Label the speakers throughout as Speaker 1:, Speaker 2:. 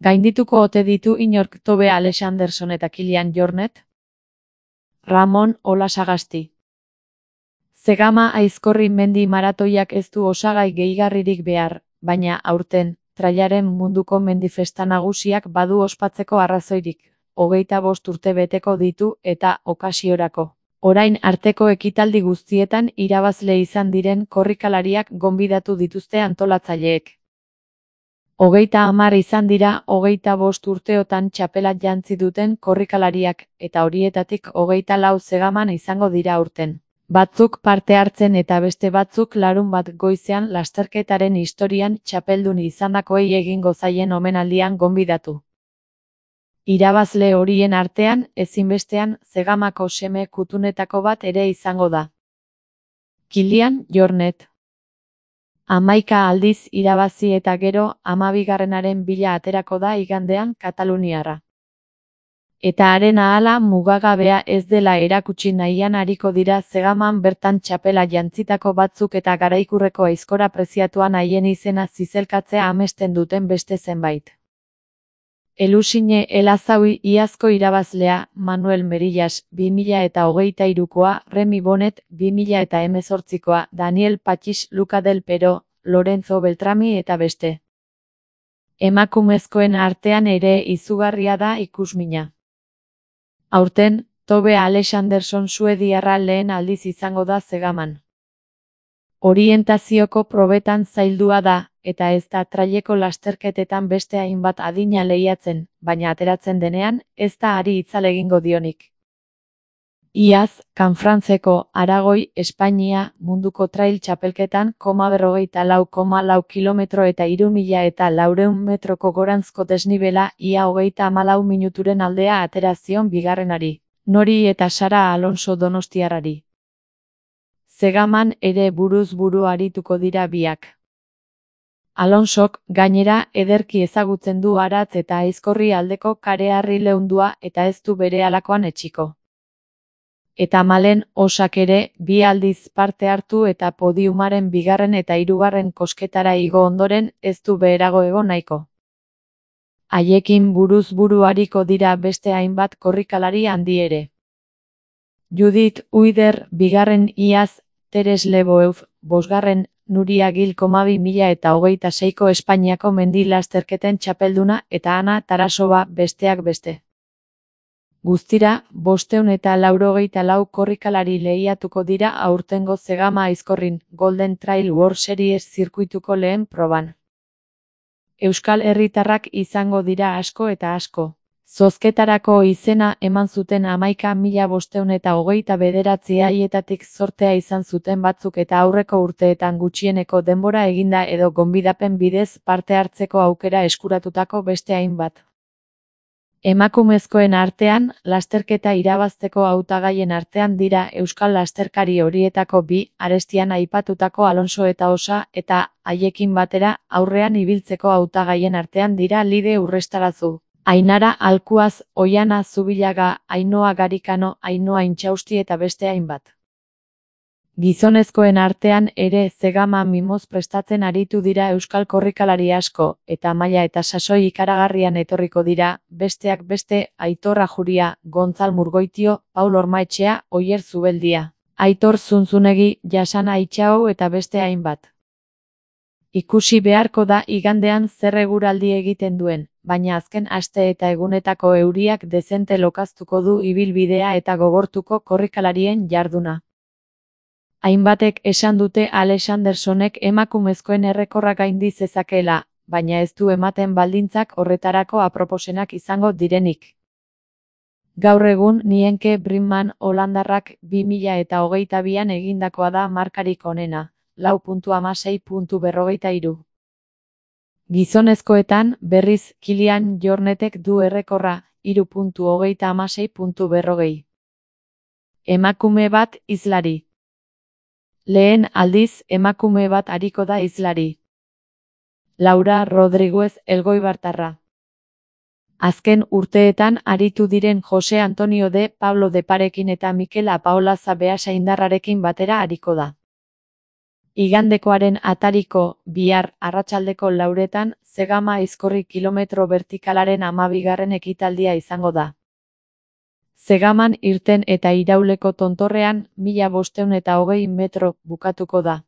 Speaker 1: Gaindituko ote ditu inork Tobe Alexanderson eta Kilian Jornet? Ramon Olasagasti. Zegama Aizkorri mendi maratoiak ez du osagai gehigarririk behar, baina aurten, trailaren munduko mendifesta nagusiak badu ospatzeko arrazoirik. 25 urte beteko ditu eta okasiorako. Orain arteko ekitaldi guztietan irabazle izan diren korrikalariak gonbidatu dituzte antolatzaileek. 30 izan dira 25 urteotan txapela jantzi duten korrikalariak, eta horietatik 24 Zegaman izango dira aurten. Batzuk parte hartzen eta beste batzuk larunbat goizean lasterketaren historian txapeldun izandakoei egingo zaien omenaldian gonbidatu. Irabazle horien artean, ezinbestean, Zegamako seme kutunetako bat ere izango da. Kilian Jornet. 11 aldiz irabazi eta gero 12. bila aterako da igandean kataluniarra. Eta haren ahala mugagabea ez dela erakutsi nahian ariko dira Zegaman bertan txapela jantzitako batzuk eta garaikurreko aizkora preziatuan haien izena zizelkatzea amesten duten beste zenbait. Elusine Elazaui iazko irabazlea, Manuel Merillas 2023koa, Remi Bonet 2018koa, Daniel Pachis, Luca del Pero, Lorenzo Beltrami eta beste. Emakumezkoen artean ere izugarria da ikusmina. Aurten, Tobe Alexanderson suediarra lehen aldiz izango da Zegaman. Orientazioko probetan zaildua da, eta ez da traileko lasterketetan beste hainbat adina lehiatzen, baina ateratzen denean, ez da ari itzal egingo dionik. Iaz, Kanfrantzeko, Aragoi, Espainia, munduko trail txapelketan, 44,4 kilometro eta 3.400 metroko goranzko desnibela, ia 34 minuturen aldea atera zion bigarrenari, Nori eta Sara Alonso donostiarrari. Zegaman ere buruz buru arituko dira biak. Alonsok, gainera, ederki ezagutzen du Aratz eta Aizkorri aldeko kareharri leundua eta ez du bere halakoan etsiko. Eta Malen Osak ere, 2 aldiz parte hartu eta podiumaren 2. eta 3. kosketara igo ondoren, ez du beherago egon nahiko. Haiekin buruz buru ariko dira beste hainbat korrikalari handi ere. Judith Uider 2. iaz, Teres Leboeuf 5. Nuria Gil 2026ko Espainiako mendi lasterketen txapelduna eta Ana Tarasova besteak beste. Guztira, 584 korrikalari lehiatuko dira aurtengo Zegama Aizkorrin Golden Trail World Series zirkuituko lehen proban. Euskal herritarrak izango dira asko eta asko. Zozketarako izena eman zuten 11.529 haietatik zortea izan zuten batzuk eta aurreko urteetan gutxieneko denbora eginda edo gonbidapen bidez parte hartzeko aukera eskuratutako beste hainbat. Emakumezkoen artean, lasterketa irabazteko hautagaien artean dira euskal lasterkari horietako 2, arestian aipatutako Alonso eta Osa, eta, haiekin batera, aurrean ibiltzeko hautagaien artean dira Lide Urrestarazu, Ainara Alkuaz, Oiana Zubillaga, Ainhoa Garikano, Ainhoa Intxausti eta beste hainbat. Gizonezkoen artean ere Zegama mimoz prestatzen aritu dira euskal korrikalari asko, eta maila eta sasoi ikaragarrian etorriko dira, besteak beste, Aitor Ajuria, Gontzal Murgoitio, Paul Ormaetxea, Oier Zubeldia, Aitor Zunzunegi, Jasana Itxau eta beste hainbat. Ikusi beharko da igandean zer eguraldi egiten duen, baina azken aste eta egunetako euriak dezente lokaztuko du ibilbidea eta gogortuko korrikalarien jarduna. Hainbatek esan dute Alexandersonek emakumezkoen errekorra gaindi zezakeela, baina ez du ematen baldintzak horretarako aproposenak izango direnik. Gaur egun Nienke Brinman holandarrak 2022an egindakoa da markarik onena, 4.16.43. Gizonezkoetan, berriz, Kilian Jornetek du errekorra, 3.26.40. Emakume bat hizlari. Lehen aldiz, emakume bat ariko da hizlari. Laura Rodriguez elgoibartarra. Azken urteetan aritu diren Jose Antonio de Pablo de Parekin eta Mikel Apaolaza Beasaindarrarekin batera ariko da. Igandekoaren atariko, bihar, arratsaldeko 4etan, Zegama Aizkorri kilometro bertikalaren 12. ekitaldia izango da. Zegaman irten eta irauleko tontorrean, 1520 metro bukatuko da.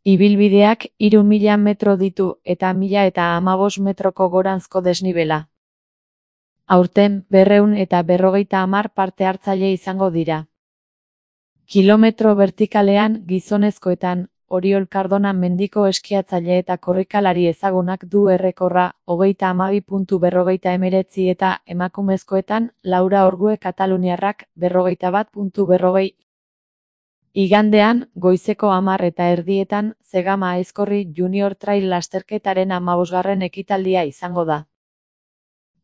Speaker 1: Ibilbideak 3000 metro ditu eta 1015 metroko goranzko desnibela. Aurten, 250 parte hartzaile izango dira. Kilometro bertikalean gizonezkoetan, Oriol Cardona mendiko eskiatzaile eta korrikalari ezagunak du errekorra 32.49 eta emakumezkoetan Laura Orgue kataluniarrak 41.40. Igandean, goizeko 10:30 Zegama Aizkorri Junior Trail lasterketaren 15. ekitaldia izango da.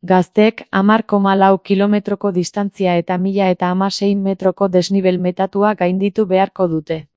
Speaker 1: Gazteek 10,4 kilometroko distantzia eta 1016 metroko desnibel metatua gainditu beharko dute.